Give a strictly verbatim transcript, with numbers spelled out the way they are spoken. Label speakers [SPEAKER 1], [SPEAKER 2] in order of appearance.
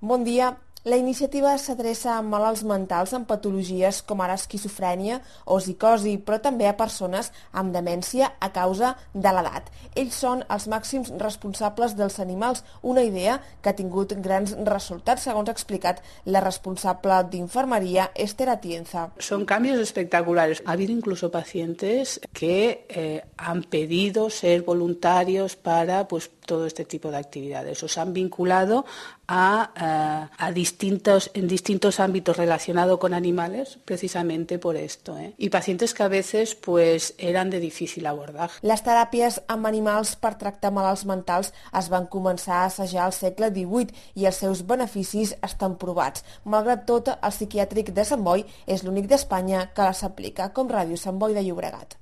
[SPEAKER 1] Bon dia. La iniciativa s'adreça a malalts mentals amb patologies com ara esquizofrènia o psicosi, però també a persones amb demència a causa de l'edat. Ells són els màxims responsables dels animals, una idea que ha tingut grans resultats, segons ha explicat la responsable d'infermería, Esther Atienza.
[SPEAKER 2] Son cambios espectaculares. Ha habido incluso pacientes que eh, han pedido ser voluntarios para pues, todo este tipo de actividades. O se han vinculado a, a, a distintos, en distintos ámbitos relacionados con animales, precisamente por esto. ¿eh? Y pacientes que a veces pues, eran de difícil abordaje.
[SPEAKER 1] Les teràpies amb animals per tractar malalts mentals es van començar a assajar al segle divuit i els seus beneficis estan provats. Malgrat tot, el psiquiàtric de Sant Boi és l'únic d'Espanya que les aplica, com Ràdio Sant Boi de Llobregat.